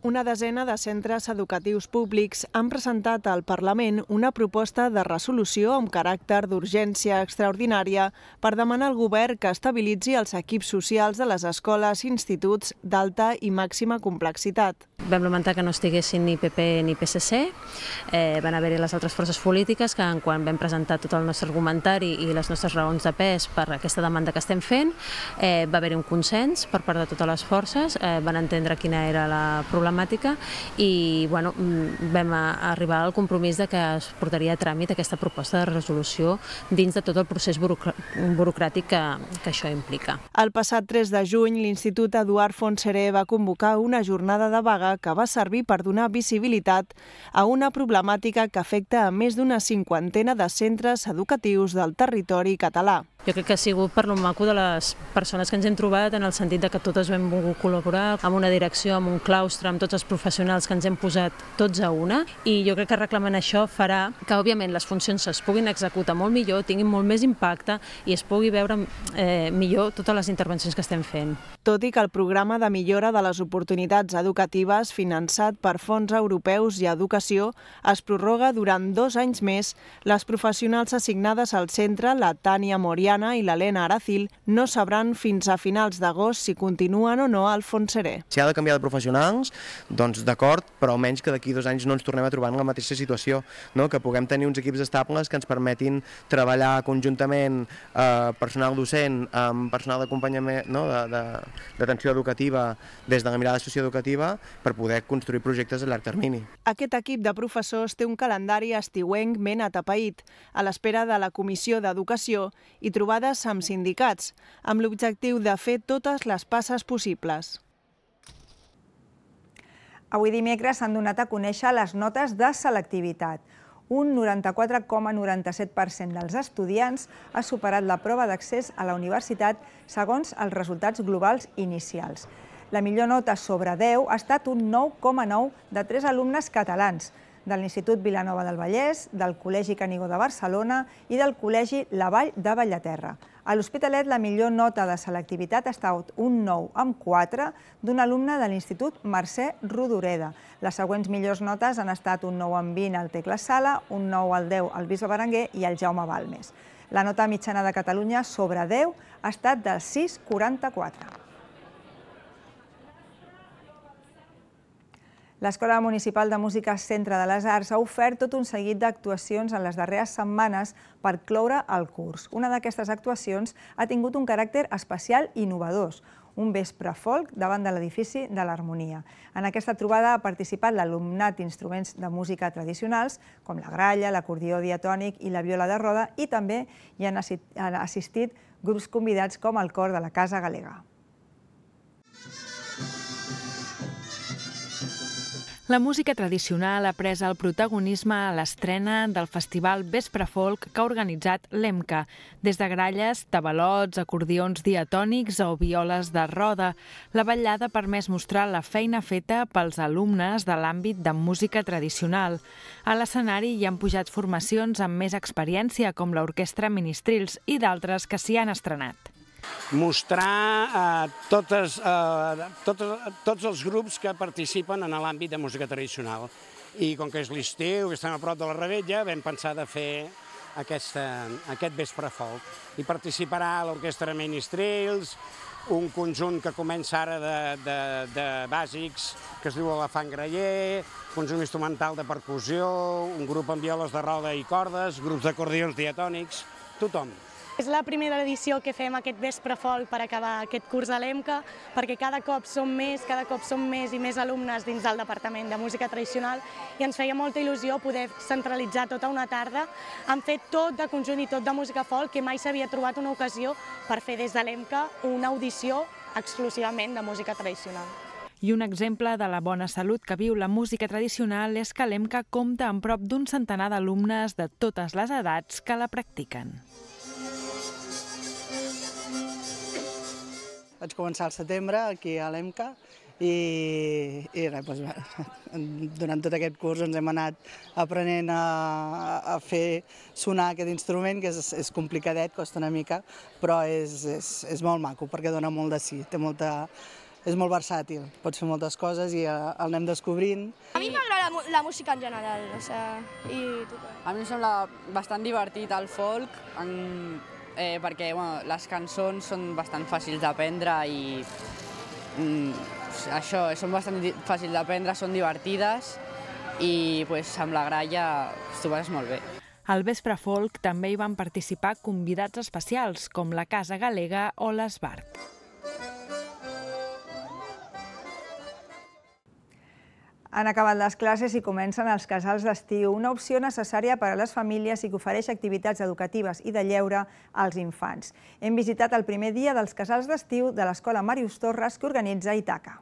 Una desena de centres educatius públics han presentat al Parlament una proposta de resolució amb caràcter d'urgència extraordinària per demanar al govern que estabilitzi els equips socials de les escoles i instituts d'alta i màxima complexitat. Vam lamentar que no estiguessin ni P P ni P S C, eh, van haver-hi les altres forces polítiques que quan vam presentar tot el nostre argumentari i les nostres raons de pes per aquesta demanda que estem fent, eh, va haver-hi un consens per part de totes les forces, eh, van entendre quina era la problemàtica i bueno, vam arribar al compromís de que es portaria a tràmit aquesta proposta de resolució dins de tot el procés burocràtic que, que això implica. El passat tres de juny, l'Institut Eduard Fontserè va convocar una jornada de vaga que va servir per donar visibilitat a una problemàtica que afecta a més d'una cinquantena de centres educatius del territori català. Jo crec que ha sigut per lo maco de les persones que ens hem trobat, en el sentit de que totes hem volgut col·laborar amb una direcció, amb un claustre, amb tots els professionals que ens hem posat tots a una, i jo crec que reclamant això farà que, òbviament, les funcions es puguin executar molt millor, tinguin molt més impacte i es pugui veure eh, millor totes les intervencions que estem fent. Tot i que el programa de millora de les oportunitats educatives finançat per fons europeus i educació es prorroga durant dos anys més, les professionals assignades al centre, la Tània Moriana i l'Helena Aracil, no sabran fins a finals d'agost si continuen o no al Fons Seré. Si ha de canviar de professionals, doncs d'acord, però almenys que d'aquí dos anys no ens tornem a trobar en la mateixa situació, no? Que puguem tenir uns equips estables que ens permetin treballar conjuntament eh, personal docent amb personal d'acompanyament, no? d'atenció educativa des de la mirada socioeducativa per poder construir projectes a llarg termini. Aquest equip de professors té un calendari estiuenc ben atapeït, a l'espera de la Comissió d'Educació i trobades amb sindicats, amb l'objectiu de fer totes les passes possibles. Avui dimecres s'han donat a conèixer les notes de selectivitat. Un noranta-quatre coma noranta-set per cent dels estudiants ha superat la prova d'accés a la universitat segons els resultats globals inicials. La millor nota sobre deu ha estat un nou coma nou de tres alumnes catalans, de l'Institut Vilanova del Vallès, del Col·legi Canigó de Barcelona i del Col·legi La Vall de Bellaterra. A l'Hospitalet la millor nota de selectivitat ha estat un nou amb quatre d'un alumne de l'Institut Mercè Rodoreda. Les següents millors notes han estat un nou amb vint al Tecla Sala, un nou al deu al Bisbe Berenguer i al Jaume Balmes. La nota mitjana de Catalunya sobre deu ha estat del sis coma quaranta-quatre. L'Escola Municipal de Música Centre de les Arts ha ofert tot un seguit d'actuacions en les darreres setmanes per cloure el curs. Una d'aquestes actuacions ha tingut un caràcter especial i innovador, un vespre folk davant de l'edifici de l'Harmonia. En aquesta trobada ha participat l'alumnat d'instruments de música tradicionals, com la gralla, l'acordió diatònic i la viola de roda, i també hi han assistit grups convidats com el cor de la Casa Galega. La música tradicional ha pres el protagonisme a l'estrena del festival Vespre Folk que ha organitzat l'EMCA, des de gralles, tabalots, acordions diatònics o violes de roda. La vetllada ha permès mostrar la feina feta pels alumnes de l'àmbit de música tradicional. A l'escenari hi han pujat formacions amb més experiència, com l'Orquestra Ministrils, i d'altres que s'hi han estrenat. Mostrar eh, totes, eh, totes, tots els grups que participen en l'àmbit de música tradicional. I com que és l'estiu, que estem a prop de la Rebetlla, vam pensar de fer aquesta, aquest vespre folk. Hi participarà l'Orquestra Ministrils, un conjunt que comença ara de, de, de bàsics, que es diu Elefant Graller, conjunt instrumental de percussió, un grup amb violes de roda i cordes, grups d'acordions diatònics, tothom. És la primera edició que fem aquest vespre folk per acabar aquest curs a l'EMCA, perquè cada cop som més, cada cop som més i més alumnes dins del Departament de Música Tradicional i ens feia molta il·lusió poder centralitzar tota una tarda en fer tot de conjunt i tot de música folk, que mai s'havia trobat una ocasió per fer des de l'EMCA una audició exclusivament de música tradicional. I un exemple de la bona salut que viu la música tradicional és que l'EMCA compta amb prop d'un centenar d'alumnes de totes les edats que la practiquen. Vaig començar al setembre aquí a l'EMCA i, i res, doncs, durant tot aquest curs ens hem anat aprenent a, a fer sonar aquest instrument, que és, és complicadet, costa una mica, però és, és, és molt maco perquè dona molt de sí, té molta, és molt versàtil, pots fer moltes coses i el anem descobrint. A mi m'agrada la, la música en general, o sea, i tot. A mi em sembla bastant divertit el folk, en... Eh, perquè bueno, les cançons són bastant fàcils d'aprendre i mm, això, són bastant fàcils d'aprendre, són divertides i pues, amb la gralla t'ho passes molt bé. Al Vespre Folk també hi van participar convidats especials com la Casa Galega o l'Esbart. Han acabat les classes i comencen els casals d'estiu, una opció necessària per a les famílies i que ofereix activitats educatives i de lleure als infants. Hem visitat el primer dia dels casals d'estiu de l'Escola Màrius Torres que organitza Itaca.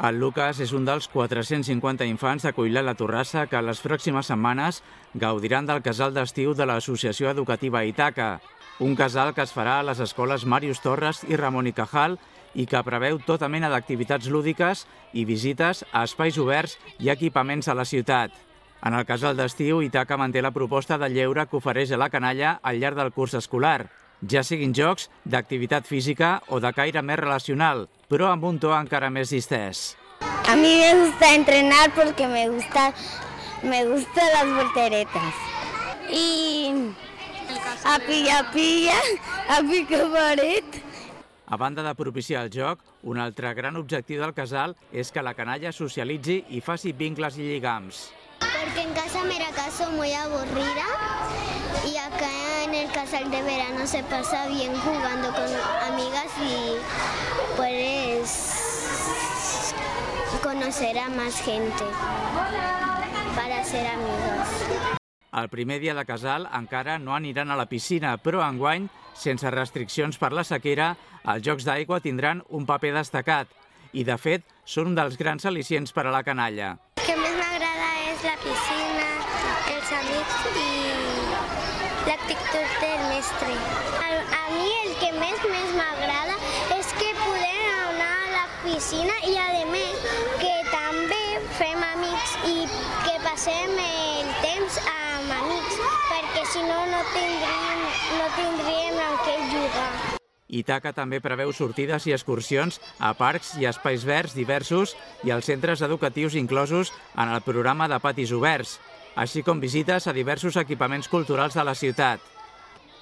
El Lucas és un dels quatre-cents cinquanta infants de Coilà la Torrassa que les pròximes setmanes gaudiran del casal d'estiu de l'Associació Educativa Ítaca, un casal que es farà a les escoles Màrius Torres i Ramon i Cajal i que preveu tota mena d'activitats lúdiques i visites a espais oberts i equipaments a la ciutat. En el casal d'estiu, Ítaca manté la proposta de lleure que ofereix a la canalla al llarg del curs escolar, ja siguin jocs d'activitat física o de caire més relacional, però amb un to encara més distès. A mí me gusta entrenar porque me gusta, me gustan las volteretas. Y a pilla pilla, a pica paret. A banda de propiciar el joc, un altre gran objectiu del casal és que la canalla socialitzi i faci vincles i lligams. Porque en casa me la caso muy aburrida y acá en el casal de verano se pasa bien jugando con amigas y puedes conocer a más gente para ser amigos. El primer dia de casal encara no aniran a la piscina, però enguany, sense restriccions per la sequera, els jocs d'aigua tindran un paper destacat i, de fet, són un dels grans al·licients per a la canalla. El que més m'agrada és la piscina, els amics i l'actitud del mestre. A mi el que més més m'agrada és que podem anar a la piscina i, a més, que també fem amics i que passem el temps amb amics, perquè si no, no tindríem, no tindríem amb què jugar. Ítaca també preveu sortides i excursions a parcs i espais verds diversos i als centres educatius inclosos en el programa de patis oberts, així com visites a diversos equipaments culturals de la ciutat.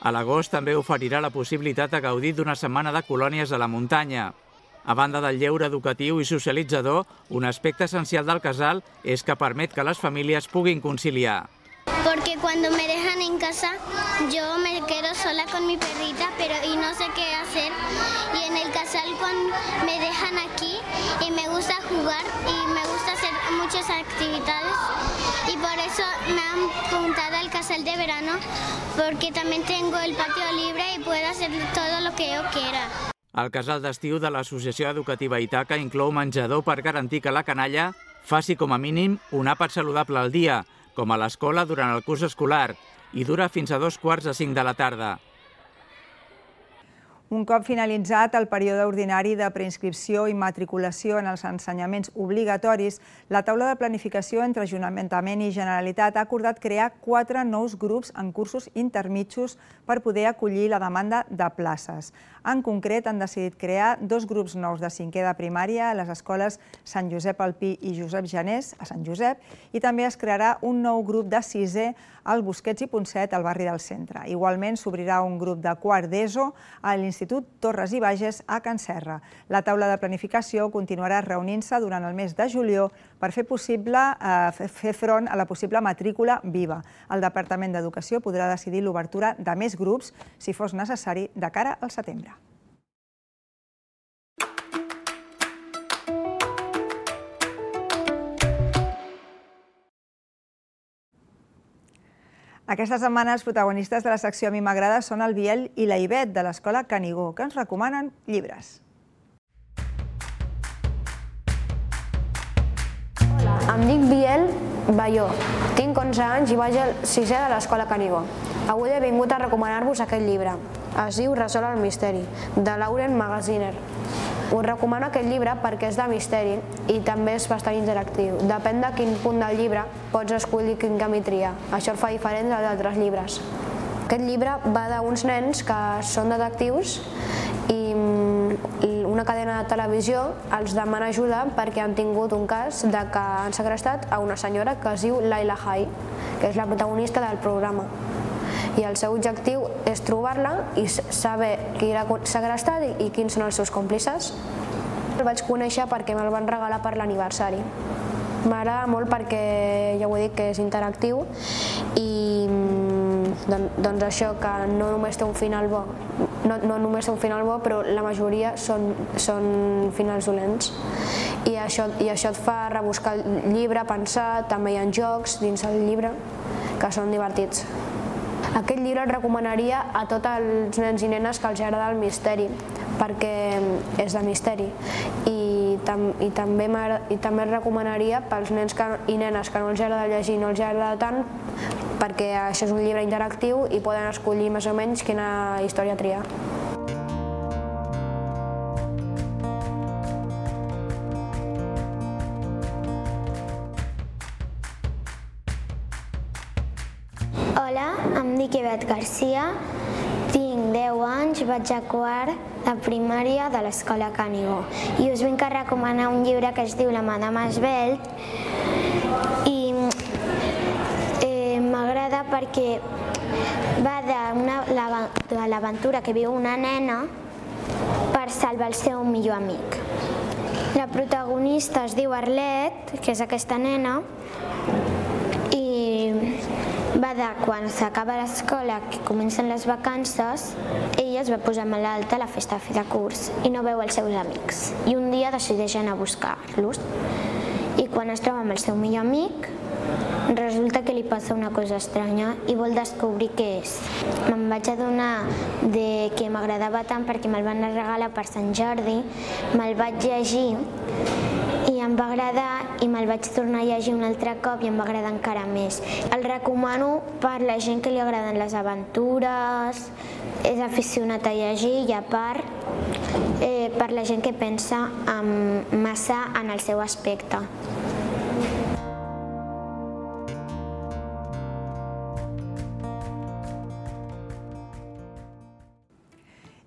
A l'agost també oferirà la possibilitat de gaudir d'una setmana de colònies a la muntanya. A banda del lleure educatiu i socialitzador, un aspecte essencial del casal és que permet que les famílies puguin conciliar. Porque cuando me dejan en casa, yo me quedo sola con mi perrita, pero y no sé qué hacer. Y en el casal cuando me dejan aquí y me gusta jugar y me gusta hacer muchas actividades. Y por eso me han apuntado al casal de verano, porque también tengo el patio libre y puedo hacer todo lo que yo quiera. El casal d'estiu de l'Associació Educativa Ítaca inclou menjador per garantir que la canalla faci com a mínim un àpat saludable al dia, com a l'escola durant el curs escolar, i dura fins a dos quarts de cinc de la tarda. Un cop finalitzat el període ordinari de preinscripció i matriculació en els ensenyaments obligatoris, la taula de planificació entre Ajuntament i Generalitat ha acordat crear quatre nous grups en cursos intermitjos per poder acollir la demanda de places. En concret, han decidit crear dos grups nous de cinquè de primària a les escoles Sant Josep Alpí i Josep Janés, a Sant Josep, i també es crearà un nou grup de sisè al Busquets i Poncet, al barri del centre. Igualment, s'obrirà un grup de quart d'ESO a l'Institut Torres i Bages a Can Serra. La taula de planificació continuarà reunint-se durant el mes de juliol per fer possible fer front a la possible matrícula viva. El Departament d'Educació podrà decidir l'obertura de més grups, si fos necessari, de cara al setembre. Aquesta setmana els protagonistes de la secció A mi m'agrada són el Biel i la Ivet de l'Escola Canigó, que ens recomanen llibres. Em dic Biel Balló, tinc onze anys i vaig al sisè de l'Escola Canigó. Avui he vingut a recomanar-vos aquest llibre. Es diu Resol el misteri, de Lauren Magaziner. Us recomano aquest llibre perquè és de misteri i també és bastant interactiu. Depèn de quin punt del llibre pots escollir quin camí triar. Això el fa diferent dels altres llibres. Aquest llibre va d'uns nens que són detectius i una cadena de televisió els demana ajuda perquè han tingut un cas de que han segrestat a una senyora que es diu Laila Hay, que és la protagonista del programa. I el seu objectiu és trobar-la i saber qui l'ha segrestat i quins són els seus còmplices. El vaig conèixer perquè me'l van regalar per l'aniversari. M'agrada molt perquè, ja ho he dit, que és interactiu i doncs això, que no només té un final bo, no, no només té un final bo, però la majoria són, són finals dolents. I això, i això et fa rebuscar el llibre, pensar, també hi ha jocs dins el llibre que són divertits. Aquest llibre el recomanaria a tots els nens i nenes que els agrada el misteri, perquè és de misteri. I, tam i, també i també recomanaria pels nens que, i nenes que no els agrada llegir i no els agrada tant, perquè això és un llibre interactiu i poden escollir més o menys quina història triar. Hola, em dic Ivet Garcia, tinc deu anys, vaig a quart de primària de l'escola Canigó i us vinc a recomanar un llibre que es diu La Madama Esvelt i eh, m'agrada perquè va de l'aventura que viu una nena per salvar el seu millor amic. La protagonista es diu Arlet, que és aquesta nena, i va de quan s'acaba l'escola, que comencen les vacances, ella es va posar malalta a la festa de fi de curs i no veu els seus amics. I un dia decideix anar a buscar-los. I quan es troba amb el seu millor amic, resulta que li passa una cosa estranya i vol descobrir què és. Me'n vaig adonar que m'agradava tant perquè me'l van regalar per Sant Jordi, me'l vaig llegir i em va agradar i me'l vaig tornar a llegir un altre cop i em va agradar encara més. El recomano per la gent que li agraden les aventures, és aficionat a llegir i a part per la gent que pensa massa en el seu aspecte.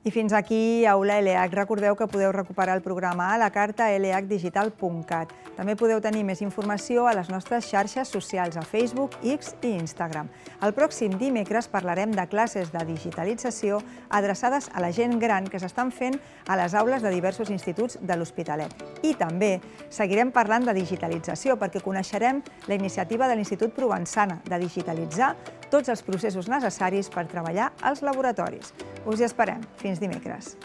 I fins aquí Aula L H. Recordeu que podeu recuperar el programa a la carta l h digital punt cat. També podeu tenir més informació a les nostres xarxes socials, a Facebook, X i Instagram. El pròxim dimecres parlarem de classes de digitalització adreçades a la gent gran que s'estan fent a les aules de diversos instituts de l'Hospitalet. I també seguirem parlant de digitalització perquè coneixerem la iniciativa de l'Institut Provençana de digitalitzar tots els processos necessaris per treballar als laboratoris. Us hi esperem. Fins dimecres.